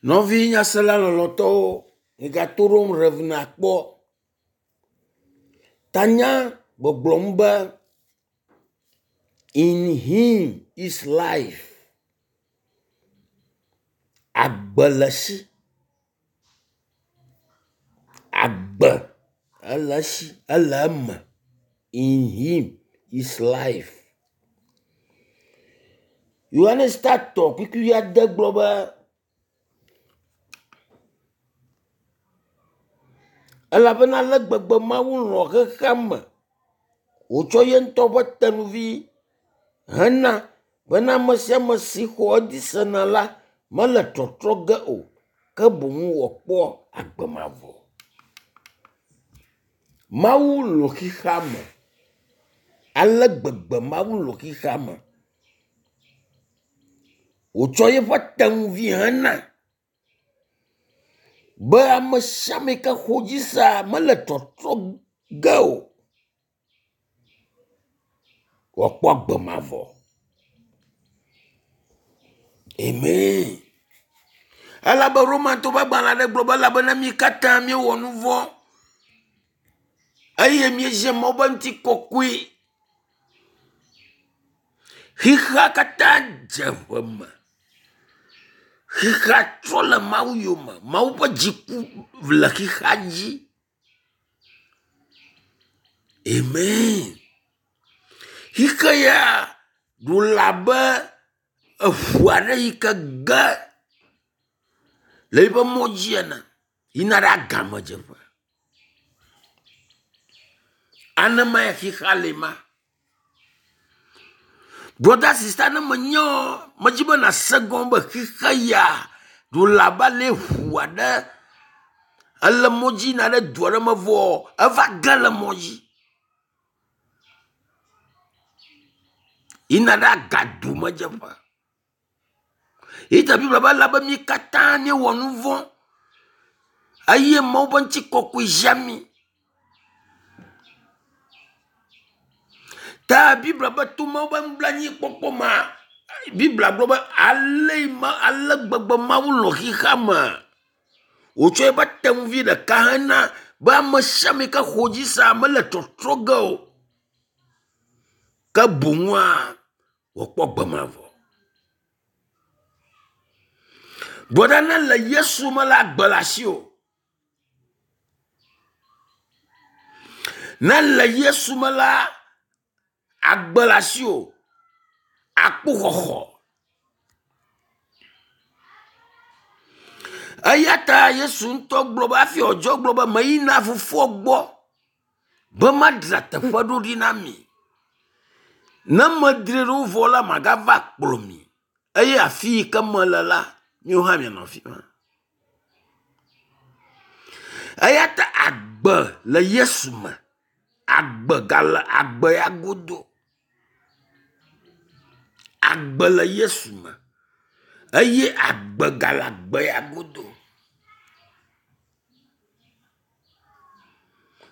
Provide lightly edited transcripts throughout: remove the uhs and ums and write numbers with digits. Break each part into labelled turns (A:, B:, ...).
A: Nɔvi nyasela lɔlɔtɔwo, migato ɖom Rev. Akpɔ. Tanya gbɔgblɔm be in him is life. Agbe le esi. Agbe ele esi ele eme. In him is life. Yohanes tatɔ kpukpui ade gblɔ be elabena ale gbegbe Mawu lɔ̃ xexea me wòtsɔ ye ŋutɔ ƒe tenuvi hena bena ame sia ame si xɔ edzi sena la mele tɔtrɔ ge o ke boŋ wòakpɔ agbe mavɔ. Mawu lɔ̃ xexea me ale gbegbe Mawu lɔ̃ xexea me wòtsɔ eƒe tenuvi hena be ame sia ame yi ke xɔ edzi sea mele tɔtrɔ ge o. Wòakpɔ agbe mavɔ. Amen. Elabe Romatɔwo ƒe agbalẽ aɖe gblɔ be elabena mí katã míewɔ nu vɔ̃ eye míedze Mawu ƒe ŋutikɔkɔe. Xexea katã dze ʋe me. Xexea trɔ le Mawu yome. Mawu ƒe dziku le xexea dzi. Amen. Xixe ya ɖo le abe eŋu aɖe yi ke ge le eƒe mɔ dzi ene yina ɖe agamedzeƒe. Anemae xexea le ma. Brɔda sista ne menye o, medzi be nàse gɔme be xixe ya ɖo le abe ale ŋu aɖe ele mɔ dzi yina ɖe du aɖe me vɔ eva ge le mɔ dzi yina ɖe agadomedzeƒe. Yi ta Biblia be ele be mí katã míewɔ nu vɔ̃ eye Mawu ƒe ŋutikɔkɔe ʒia mí. Ta Biblia be to Mawu ƒe nublanuikpɔkpɔ mea, Biblia gblɔ be ale ma ale gbegbe Mawu lɔ̃ xexea me wòtsɔ eƒe tenuvi ɖeka hena be ame sia ame yi ke xɔ edzi sea mele tɔtrɔ ge o ke boŋua wòakpɔ agbe mavɔ. Gbɔ ɖa ne le Yesu me la agbe le asiwò. Ne le Yesu me la agbe le asiwò. Akpoxɔxɔ. Eya ta Yesu ŋutɔ gblɔ be hafi wòadzɔ gblɔ be meyina fofoa gbɔ be madzra teƒe ɖo ɖi na mi. Ne medzrae ɖo vɔ la, magava kplɔ mi eye afi yi ke mele la, miawo hã mianɔ afi ma. Eya ta agbe le Yesu me. Agbe gale agbe ya godo. Agbe le Yesu me eye agbe gale agbe ya godo.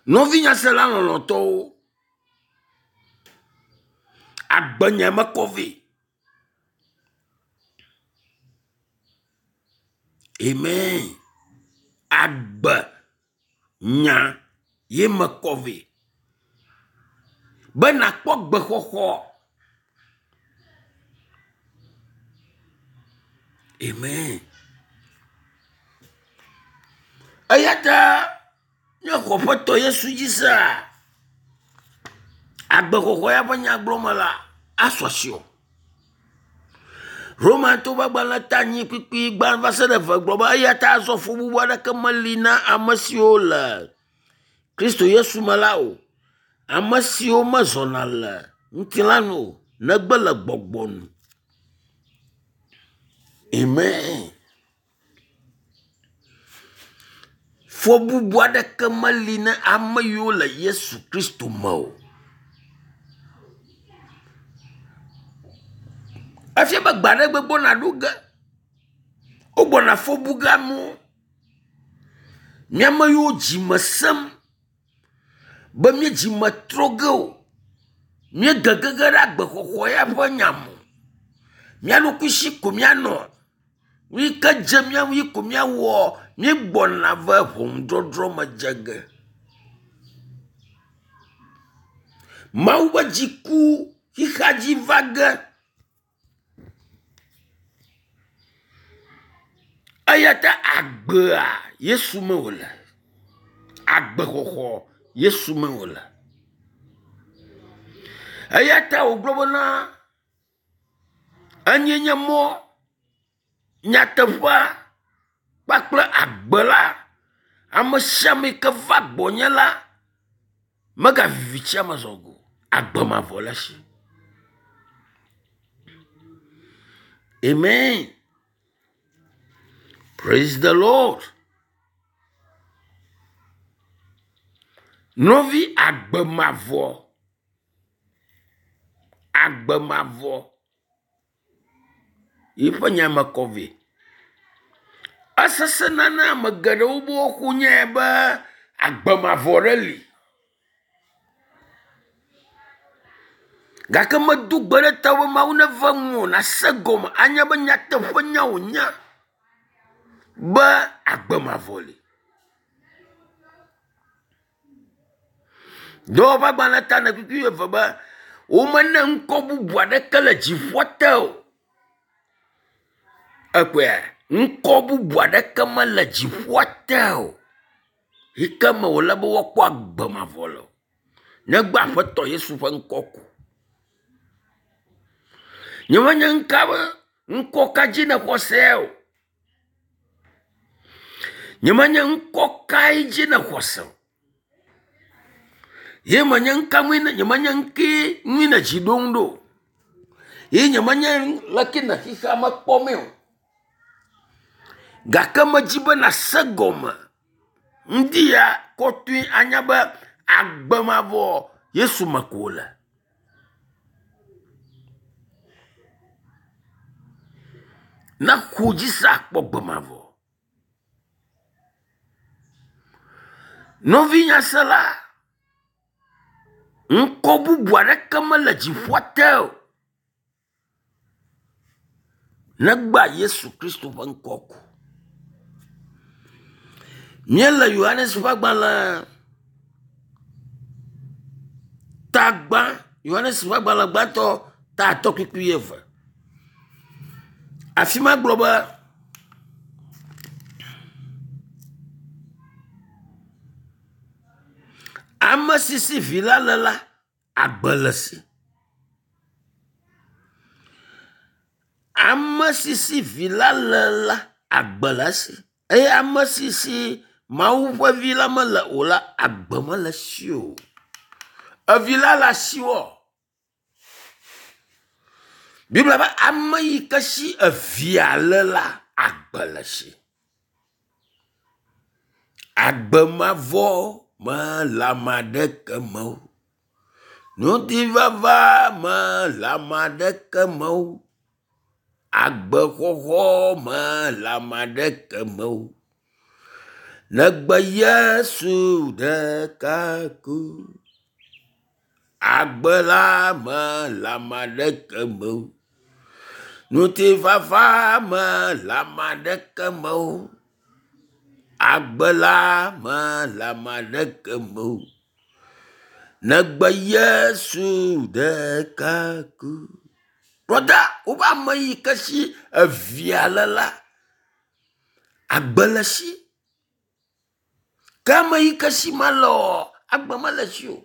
A: Nɔvi nyasela lɔlɔ̃tɔwo, agbenye mekɔ vɛ. Amen. Agbe nya ye mekɔ vɛ. Be nakpɔ gbexɔxɔ. Amen. Eya ta míexɔ Aƒetɔ Yesu dzi sea, agbexɔxɔ ya ƒe nya gblɔm mele asu asiwò. Romatɔwo ƒe agbalẽ ta nyi kpukpui gbã va se ɖe eve gblɔ be eya ta azɔ fɔ bubu aɖeke meli na ame siwo le Kristo Yesu me la o. Ame siwo mezɔna le ŋutilã nu o negbe le gbɔgbɔ nu. Amen. Fɔbubu aɖeke meli na ame yiwo le Yesu Kristo me o. Efia be gbe aɖe gbe gbɔna ɖo ge. Wogbɔna fɔ bu ge amewo. Mi ame yiwo dzime sẽm be mía dzime trɔ ge o. Míege ge ɖe agbexɔxɔ ya ƒe nya me o. Mía ɖokui si ko míanɔ. Nu yi ke dze mía ŋu ko míawɔ, míegbɔna va ŋɔnudɔdrɔ̃ me dze ge. Mawu ƒe dziku xixea dzi va ge. Eya ta agbea Yesu me wòle. Agbexɔxɔ Yesu me wòle. Eya ta wògblɔ bena enye nye mɔ, nyateƒea kpakple agbe la. Ame sia ame yi ke va gbɔnye la, megavivi tsia me zɔ o. Agbe mavɔ le esi. Amen. Praise the Lord. Nɔvi agbe mavɔ. Agbe mavɔ. Yiƒe nya me kɔ vɛ. Esesẽna na ame geɖewo be woaxɔ nyae be agbe mavɔ ɖe li. Gake medo gbe ɖe tawò be Mawu neve ŋuwò nàse egɔme anya be nyateƒenya wònye be agbe mavɔ li. Dɔwɔƒe agbalẽ ta ne kpukpui eve be womena ŋkɔ bubu aɖeke le dziƒoa te o. Ekpɔe ŋkɔ bubu aɖeke mele dziƒoa te o yi ke me wòle be woakpɔ agbe mavɔ le o. Negbe Aƒetɔ Yesu ƒe ŋkɔ ko. Nyemenya ŋka be ŋkɔ ka dzi nèxɔ se o. Nyemenya ŋkɔ kae dzi nèxɔ se o. Ye menye ŋka ŋue ne nyemenya ŋkee ŋue ne dzi ɖom ɖo. Ye nyemenya leke ne xexea me kpɔmee o. Gake medzi be nàse gɔme. Ŋdi ya kɔtoe anya be agbe mavɔ Yesu me ko wòle. Ne xo dzi se akpɔ gbe mavɔ. Nɔvi nyasela, ŋkɔ bubu aɖeke mele dziƒoa te o. Negba Yesu Kristo ƒe ŋkɔ ko. Míele Yohanes ƒe agbalẽ ta gbã, Yohanes ƒe agbalẽ gbãtɔ ta atɔ̃ kpukpui eve. Afi ma gblɔ be ame si si vi la le la, agbe le esi. Ame si si vi la le la, agbe le esi eye ame si si Mawu ƒe vi la mele o la, agbe mele esi o. Evi la le asiwò. Biblia be ame yi ke si evia le la, agbe le esi. Agbe mavɔ mele ame aɖeke me o. Ŋutivava mele ame aɖeke me o. Agbexɔxɔ mele ame aɖeke me o. Negbe Yesu ɖeka ko. Agbe la mele ame aɖeke me o. Ŋutifafa mele ame aɖeke me o. Agbe la mele ame aɖeke me o. Negbe Yesu ɖeka ko. Brɔda, wobe ame yi ke si evia le la, agbe le esi. Ke ame yi ke si mele oa, agbe mele esi o.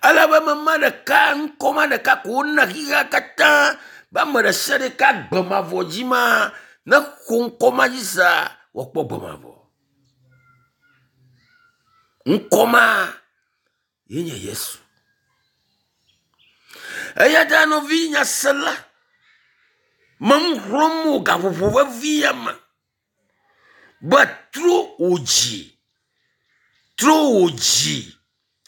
A: Ele be mema ɖeka, ŋkɔ ma ɖeka ko wona xexea katã be ame ɖe sia ɖe yi ke agbe mavɔ dzi ma, nexɔ ŋkɔ ma dzi sea, woakpɔ gbe mavɔ. Ŋkɔ ma ye nye Yesu. Eya ta nɔvi nyasela, menu xlɔ̃m wò gaƒoƒo vevi ya me be trɔ wò dzi, trɔ wò dzi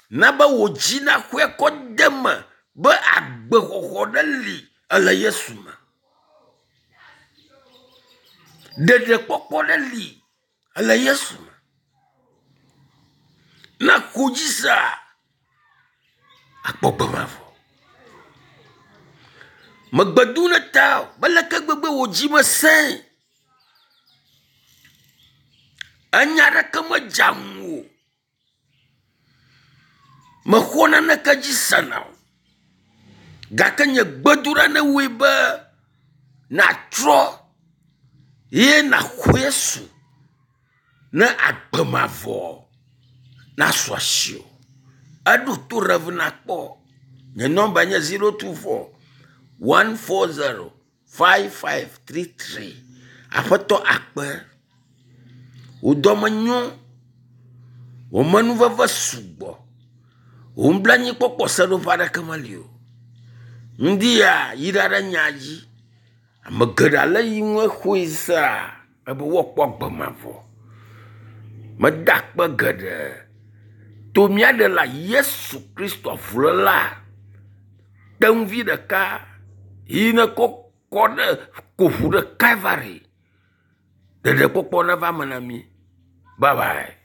A: na be wò dzi naxɔe kɔ de eme be agbexɔxɔ ɖe li ele Yesu me. Ɖeɖekpɔkpɔ ɖe li ele Yesu me. Ne xo dzi sea, akpɔ gbe mavɔ. Megbe dum ɖe ta o be leke gbegbe wò dzi me sẽe. Enya aɖeke medza ŋu o. Mexɔ naneke dzi sena o. Gake nye gbedoɖa newɔe be nàtrɔ ye nàxɔ Yesu ne agbe mavɔ nasu asiwò. Eɖo to Rev. Nakpɔ. Nye nɔmba nye 024 140 5533. Aƒetɔ akpe. Wò dɔme nyo. Wò menuveve sugbɔ. Wò nublanuikpɔkpɔ seɖoƒe aɖeke meli o. Ŋdi ya yi ɖa ɖe nya dzi. Ame geɖe ale yi ŋu exɔe sea ebe woakpɔ agbe mavɔ. Meda akpe geɖe to mía ɖela Yesu Kristo avuléla tenuvi ɖeka yi ne kɔ kɔ ɖe ko ʋu ɖe Kalvari. Ɖeɖekpɔkpɔ neva me na mí. Bye bye.